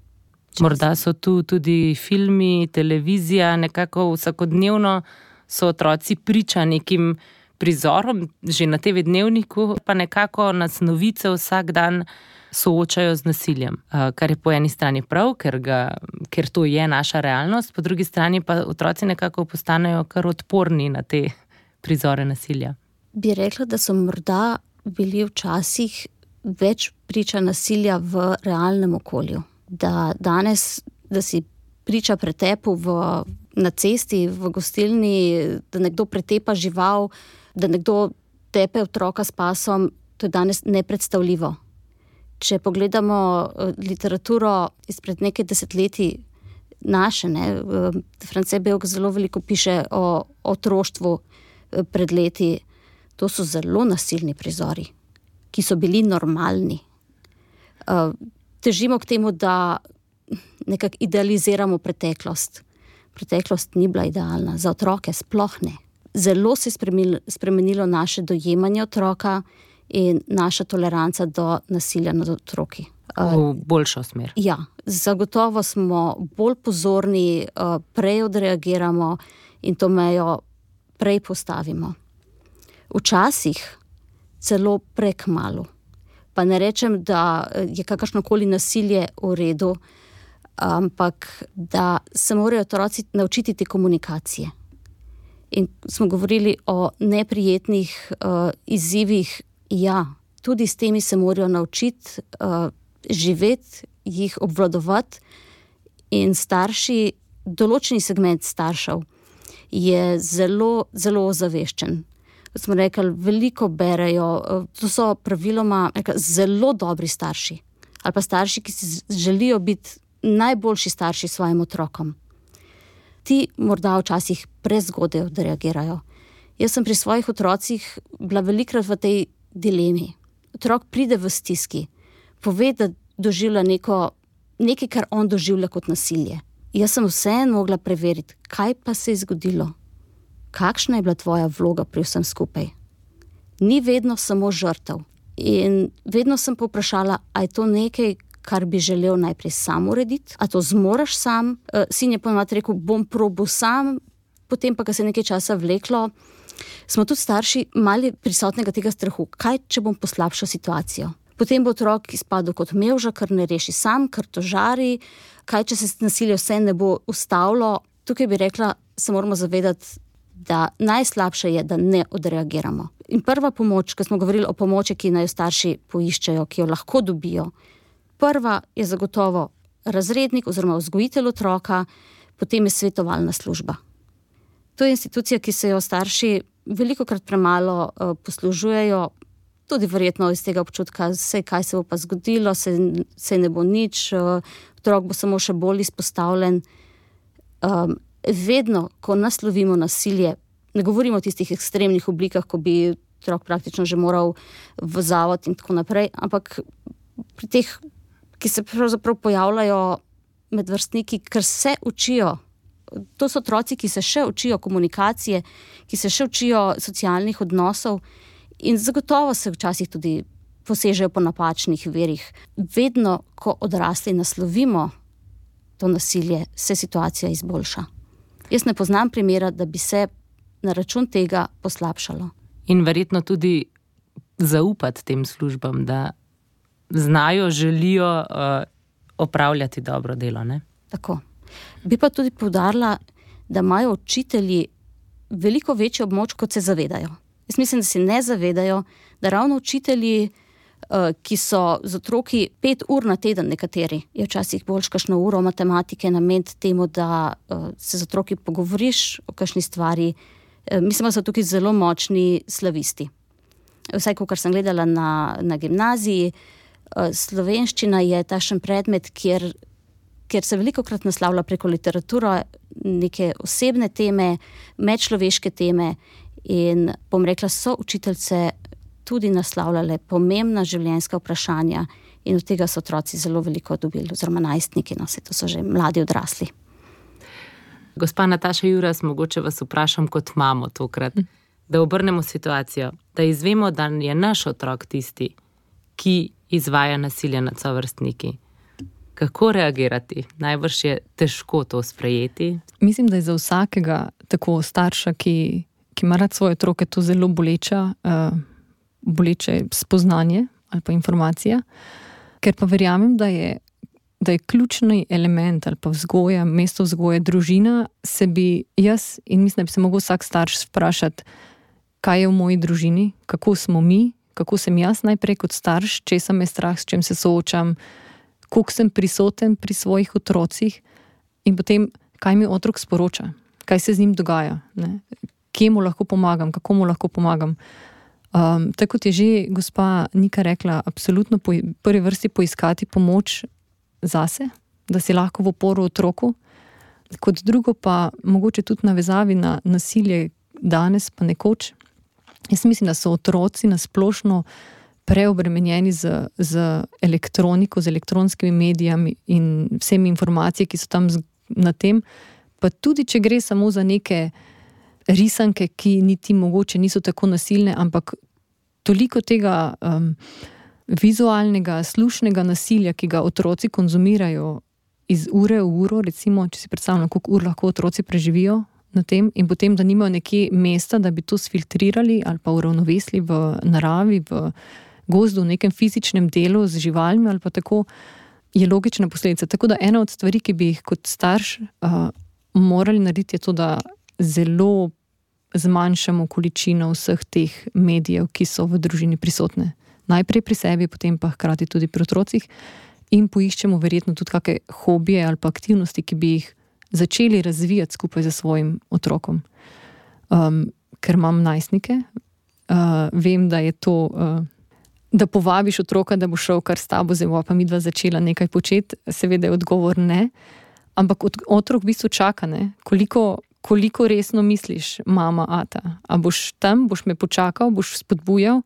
Morda so tu tudi filmi, televizija, nekako vsakodnevno so otroci priča nekim prizorom, že na TV dnevniku, pa nekako nas novice vsak dan soočajo z nasiljem, kar je po eni strani prav, ker to je naša realnost, po drugi strani pa otroci nekako postanejo kar odporni na te prizore nasilja. Bi rekla, da so morda bili včasih več priča nasilja v realnem okolju. Da danes, da si priča pretepu na cesti, v gostilni, da nekdo pretepa žival, da nekdo tepe otroka s pasom, to je danes nepredstavljivo. Če pogledamo literaturo izpred nekaj desetletij naše, France Belk zelo veliko piše o otroštvu pred leti, To so zelo nasilni prizori, ki so bili normalni. Težimo k temu, da nekako idealiziramo preteklost. Preteklost ni bila idealna, za otroke sploh ne. Zelo se je spremenilo naše dojemanje otroka in naša toleranca do nasilja nad otroki. V boljšo smer. Ja, zagotovo smo bolj pozorni, prej odreagiramo in to mejo prej postavimo. Včasih celo prekmalu. Pa ne rečem, da je kakršnokoli nasilje v redu, ampak da se morajo otroci naučiti te komunikacije. In smo govorili o neprijetnih izzivih, ja, tudi s temi se morajo naučiti živeti, jih obvladovati in starši, določeni segment staršev je zelo, zelo ozaveščen. Kot smo rekli, veliko berejo, to so praviloma zelo dobri starši. Ali pa starši, ki si želijo biti najboljši starši svojim otrokom. Ti morda včasih prezgodaj odreagirajo. Jaz sem pri svojih otrocih bila velikrat v tej dilemi. Otrok pride v stiski, pove, da doživlja nekaj, kar on doživlja kot nasilje. Jaz sem vseeno mogla preveriti, kaj pa se je zgodilo. Kakšna je bila tvoja vloga pri vsem skupaj? Ni vedno samo žrtev. In vedno sem povprašala, a je to nekaj, kar bi želel najprej sam urediti? A to zmoraš sam? Sin je ponovno rekel, bom probal sam, potem pa, ko se je nekaj časa vleklo, smo tudi starši mali prisotnega tega strahu. Kaj, če bom poslabšal situacijo? Potem bo otrok izpadel kot mevža, ker ne reši sam, ker to žari. Kaj, če se nasilje vse ne bo ustavilo? Tukaj bi rekla, se moramo zavedati, da najslabše je, da ne odreagiramo. In prva pomoč, ko smo govorili o pomoči, ki naj jo starši poiščejo, ki jo lahko dobijo, prva je zagotovo razrednik oziroma vzgojitelj otroka, potem je svetovalna služba. To je institucija, ki se jo starši velikokrat premalo poslužujejo, tudi verjetno iz tega občutka, kaj se bo pa zgodilo, se ne bo nič, otrok bo samo še bolj izpostavljen. Vedno, ko naslovimo nasilje, ne govorimo o tistih ekstremnih oblikah, ko bi otrok praktično že moral v zavod in tako naprej, ampak pri teh, ki se pravzaprav pojavljajo med vrstniki, ker se učijo. To so otroci, ki se še učijo komunikacije, ki se še učijo socialnih odnosov in zagotovo se včasih tudi posežejo po napačnih virih. Vedno, ko odrasli naslovimo to nasilje, se situacija izboljša. Jaz ne poznam primera, da bi se na račun tega poslabšalo. In verjetno tudi zaupati tem službam, da znajo, želijo opravljati dobro delo, ne? Tako. Bi pa tudi poudarila, da imajo učitelji veliko večjo moč, kot se zavedajo. Jaz mislim, da si ne zavedajo, da ravno učitelji, ki so z otroki 5 ur na teden, nekateri, je včasih bolj kakšno uro matematike nameniti temu, da se z otroki pogovoriš o kakšni stvari. Mislim, da so tukaj zelo močni slavisti. Vsaj, kar sem gledala na gimnaziji, slovenščina je takšen predmet, kjer se velikokrat naslavlja preko literature neke osebne teme, medčloveške teme in bom rekla, so učiteljce tudi naslavljale pomembna življenjska vprašanja in od tega so otroci zelo veliko dobili, oziroma najstniki, to so že mladi odrasli. Gospa Nataša Juras, mogoče vas vprašam kot mamo tokrat, da obrnemo situacijo, da izvemo, da je naš otrok tisti, ki izvaja nasilje nad sovrstniki. Kako reagirati? Najbrž je težko to sprejeti. Mislim, da je za vsakega tako starša, ki ima rad svoje otroke, to zelo boleče spoznanje ali pa informacija, ker pa verjamem, da je ključni element ali pa vzgoja, mesto vzgoje, družina, se bi jaz in mislim, da bi se mogel vsak starš vprašati, kaj je v moji družini, kako smo mi, kako sem jaz najprej kot starš, česa me strah, s čem se soočam, koliko sem prisoten pri svojih otrocih in potem, kaj mi otrok sporoča, kaj se z njim dogaja, ne? Kje mu lahko pomagam, kako mu lahko pomagam. Tako kot je že gospa Nika rekla, absolutno prvi vrsti poiskati pomoč zase, da si lahko v oporu otroku. Kot drugo pa mogoče tudi navezavi na nasilje danes pa nekoč, Jaz mislim, da so otroci nasplošno preobremenjeni z elektroniko, z elektronskimi medijami in vsemi informacije, ki so tam na tem, pa tudi, če gre samo za neke risanke, ki niti mogoče niso tako nasilne, ampak toliko tega vizualnega, slušnega nasilja, ki ga otroci konzumirajo iz ure v uro, recimo, če si predstavljamo, koliko ur lahko otroci preživijo na tem, in potem, da nimajo nekje mesta, da bi to sfiltrirali ali pa uravnovesili v naravi, v gozdu, v nekem fizičnem delu z živalmi ali pa tako, je logična posledica. Tako da ena od stvari, ki bi jih kot starš morali narediti, je to, da zelo zmanjšamo količino vseh teh medijev, ki so v družini prisotne. Najprej pri sebi, potem pa hkrati tudi pri otrocih, in poiščemo verjetno tudi kakšne hobije ali pa aktivnosti, ki bi jih začeli razvijati skupaj z svojim otrokom. Ker imam najstnike, vem, da je to, da povabiš otroka, da bo šel kar s tabo, zdaj pa midva začela nekaj početi, seveda je odgovor ne, ampak otrok v bistvu čaka, ne, koliko resno misliš, mama, ata, a boš tam, boš me počakal, boš spodbujal,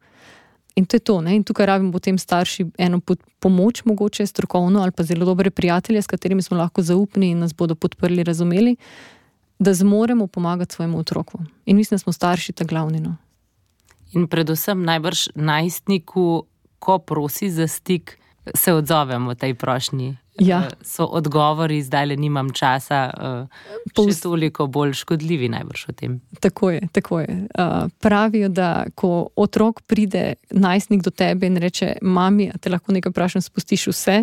in to je to, ne, in tukaj rabimo potem starši eno pomoč, mogoče strokovno, ali pa zelo dobre prijatelje, s katerimi smo lahko zaupni in nas bodo podprli, razumeli, da zmoremo pomagati svojemu otroku. In mislim, da smo starši ta glavni, no. In predvsem najbrž najstniku, ko prosi za stik, se odzovemo tej prošnji. Ja. So odgovori, zdajle nimam časa, še toliko bolj škodljivi najbrž o tem. Tako je. Pravijo, da ko otrok pride, najstnik do tebe in reče, mami, a te lahko nekaj vprašam, spustiš vse,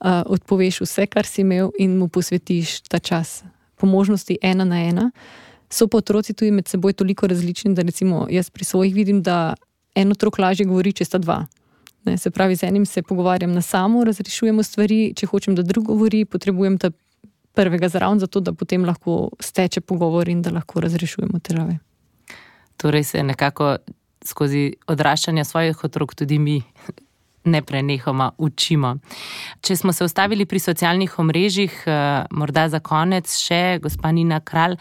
odpoveš vse, kar si imel in mu posvetiš ta čas. Po možnosti 1 na 1. So pa otroci tudi med seboj toliko različni, da recimo jaz pri svojih vidim, da en otrok lažje govori, če sta 2. Ne, se pravi, z enim se pogovarjam na samo, razrešujemo stvari, če hočem, da drug govori, potrebujem ta prvega zraven, zato da potem lahko steče pogovor in da lahko razrešujemo težave. Torej se nekako skozi odraščanje svojih otrok tudi mi neprenehoma učimo. Če smo se ustavili pri socialnih omrežjih, morda za konec še gospa Nina Kralj,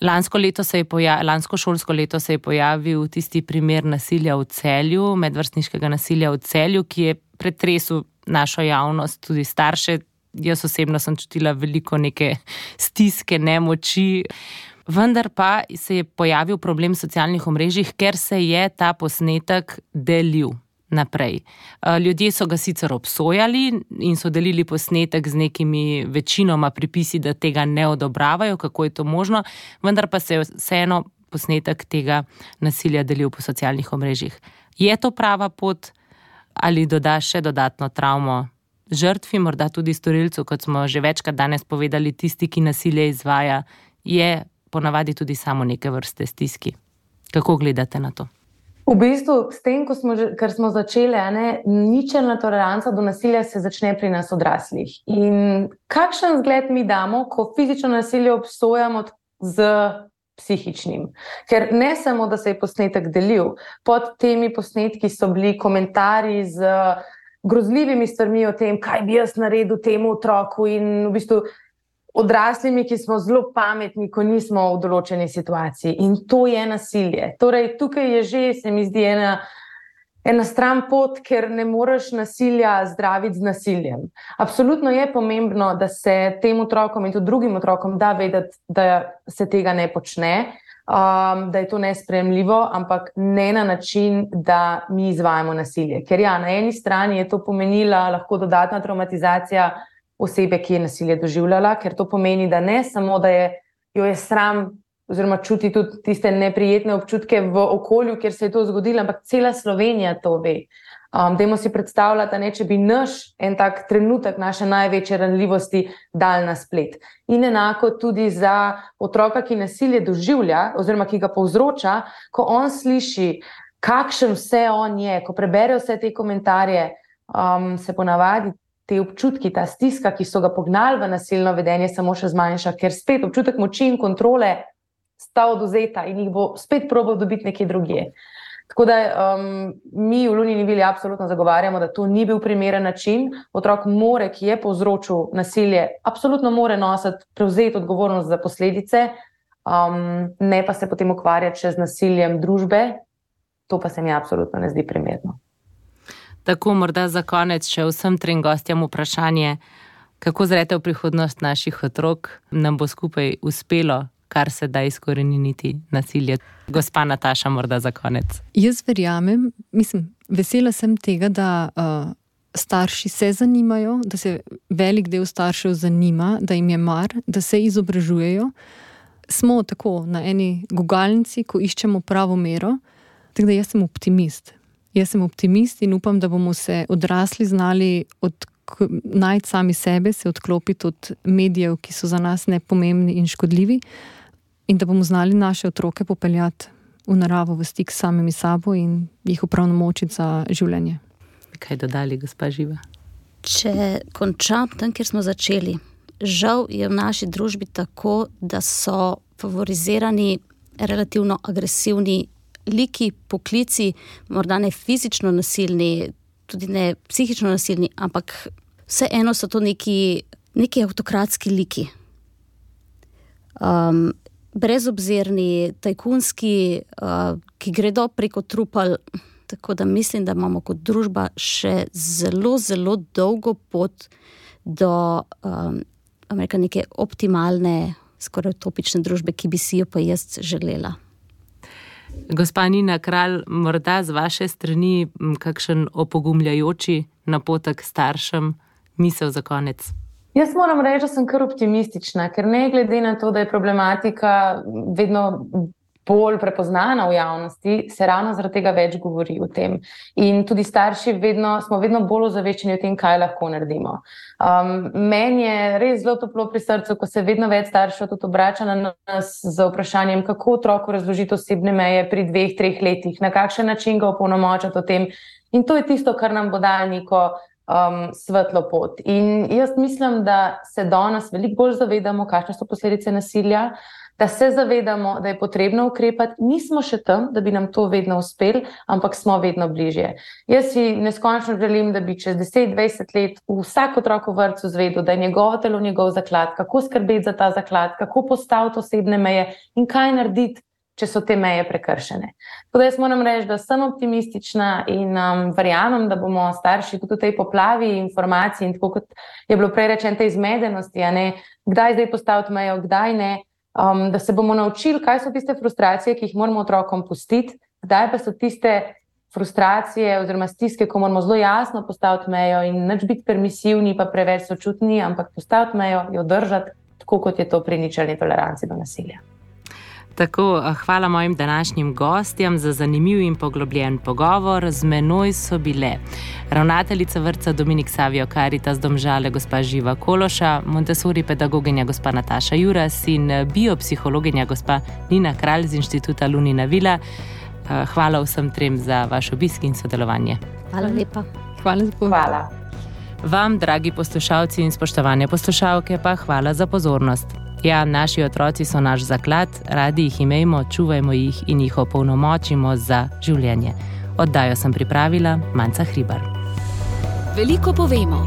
lansko šolsko leto se je pojavil tisti primer nasilja v Celju, medvrstniškega nasilja v Celju, ki je pretresel našo javnost, tudi starše. Jaz osebno sem čutila veliko neke stiske, nemoči. Vendar pa se je pojavil problem socialnih omrežjih, ker se je ta posnetek delil naprej. Ljudje so ga sicer obsojali in so delili posnetek z nekimi večinoma pripisi, da tega ne odobravajo, kako je to možno, vendar pa se je vseeno posnetek tega nasilja delil po socialnih omrežjih. Je to prava pot ali doda še dodatno travmo žrtvi, morda tudi storilcu, kot smo že večkrat danes povedali, tisti, ki nasilje izvaja, je ponavadi tudi samo neke vrste stiski. Kako gledate na to? V bistvu, s tem, ker smo začeli, ničelna toleranca do nasilja se začne pri nas odraslih. In kakšen zgled mi damo, ko fizično nasilje obsojamo z psihičnim? Ker ne samo, da se je posnetek delil, pod temi posnetki so bili komentarji z grozljivimi stvarmi o tem, kaj bi jaz naredil temu otroku, in v bistvu odraslimi, ki smo zelo pametni, ko nismo v določeni situaciji. In to je nasilje. Torej, tukaj je že, se mi zdi, ena stran pot, ker ne moreš nasilja zdraviti z nasiljem. Absolutno je pomembno, da se tem otrokom in tudi drugim otrokom da vedeti, da se tega ne počne, da je to nesprejemljivo, ampak ne na način, da mi izvajamo nasilje. Ker ja, na eni strani je to pomenila lahko dodatna traumatizacija osebe, ki je nasilje doživljala, ker to pomeni, da ne samo, da jo je sram oziroma čuti tudi tiste neprijetne občutke v okolju, kjer se je to zgodilo, ampak cela Slovenija to ve. Dajmo si predstavljati, če bi en tak trenutek naše največje ranljivosti dal na splet. In enako tudi za otroka, ki nasilje doživlja oziroma ki ga povzroča, ko on sliši, kakšen vse on je, ko prebere vse te komentarje, se ponavadi te občutki, ta stiska, ki so ga pognali v nasilno vedenje, samo še zmanjša, ker spet občutek moči in kontrole sta odvzeta in jih bo spet probal dobiti nekje drugje. Tako da mi v Lunini vili absolutno zagovarjamo, da to ni bil primeren način. Otrok ki je povzročil nasilje, absolutno mora prevzeti odgovornost za posledice, ne pa se potem ukvarjati še z nasiljem družbe, to pa se mi absolutno ne zdi primerno. Tako, morda za konec še vsem trem gostjam vprašanje, kako zrete v prihodnost naših otrok, nam bo skupaj uspelo, kar se da izkoreniniti nasilje. Gospa Nataša, morda za konec. Jaz verjamem, vesela sem tega, da starši se zanimajo, da se velik del staršev zanima, da jim je mar, da se izobražujejo. Smo tako na eni gugalnici, ko iščemo pravo mero, tako da jaz sem optimist. Jaz sem optimist in upam, da bomo se odrasli znali najti sami sebe, se odklopiti od medijev, ki so za nas nepomembni in škodljivi, in da bomo znali naše otroke popeljati v naravo, v stik s samimi sabo in jih opravnomočiti za življenje. Kaj dodali, gospa Živa? Če končam tam, kjer smo začeli. Žal je v naši družbi tako, da so favorizirani relativno agresivni liki, poklici, morda ne fizično nasilni, tudi ne psihično nasilni, ampak vseeno so to neki avtokratski liki. Brezobzirni, tajkunski, ki gredo preko trupel, tako da mislim, da imamo kot družba še zelo, zelo dolgo pot do neke optimalne, skoraj utopične družbe, ki bi si jo pa jaz želela. Gospa Nina Kralj, morda z vaše strani kakšen opogumljajoči napotek staršem, misel za konec? Jaz moram reči, da sem kar optimistična, ker ne glede na to, da je problematika vedno bolj prepoznana v javnosti, se ravno zaradi tega več govori o tem. In tudi starši smo vedno bolj ozaveščeni o tem, kaj lahko naredimo. Meni je res zelo toplo pri srcu, ko se vedno več staršev tudi obrača na nas z vprašanjem, kako otroku razložiti osebne meje pri 2-3 letih, na kakšen način ga opolnomočiti o tem. In to je tisto, kar nam bo dalo neko svetlo pot. In jaz mislim, da se danes veliko bolj zavedamo, kakšne so posledice nasilja, da se zavedamo, da je potrebno ukrepati. Nismo še tam, da bi nam to vedno uspelo, ampak smo vedno bližje. Jaz si neskončno želim, da bi čez 10-20 let vsak otrok v vrtcu zvedel, da je njegovo telo njegov zaklad, kako skrbeti za ta zaklad, kako postaviti osebne meje in kaj narediti, če so te meje prekršene. Tako da jaz moram reči, da sem optimistična in verjamem, da bomo starši tudi v tej poplavi informacij in tako kot je bilo prej rečeno, te izmedenosti, kdaj zdaj postaviti mejo, kdaj ne, da se bomo naučili, kaj so tiste frustracije, ki jih moramo otrokom pustiti, kdaj pa so tiste frustracije oziroma stiske, ko moramo zelo jasno postaviti mejo in nič biti permisivni pa preveč sočutni, ampak postaviti mejo, jo držati, tako kot je to pri ničelni toleranci do nasilja. Tako, hvala mojim današnjim gostjem za zanimiv in poglobljen pogovor. Z menoj so bile ravnateljica vrtca Dominik Savio Caritas Domžale gospa Živa Kološa, Montessori pedagoginja gospa Nataša Juras in biopsihologinja gospa Nina Kralj z Inštituta Lunina Vila. Hvala vsem trem za vaš obisk in sodelovanje. Hvala lepa. Hvala za poved. Hvala. Vam, dragi poslušalci in spoštovane poslušalke, pa hvala za pozornost. Ja, naši otroci so naš zaklad, radi jih imejmo, čuvajmo jih in jih opolnomočimo za življenje. Oddajo sem pripravila Manca Hribar. Veliko povemo,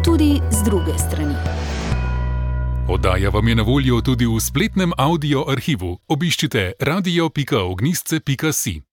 tudi z druge strani. Oddaja vam je na voljo tudi v spletnem audio arhivu. Obiščite radio.ognistce.si.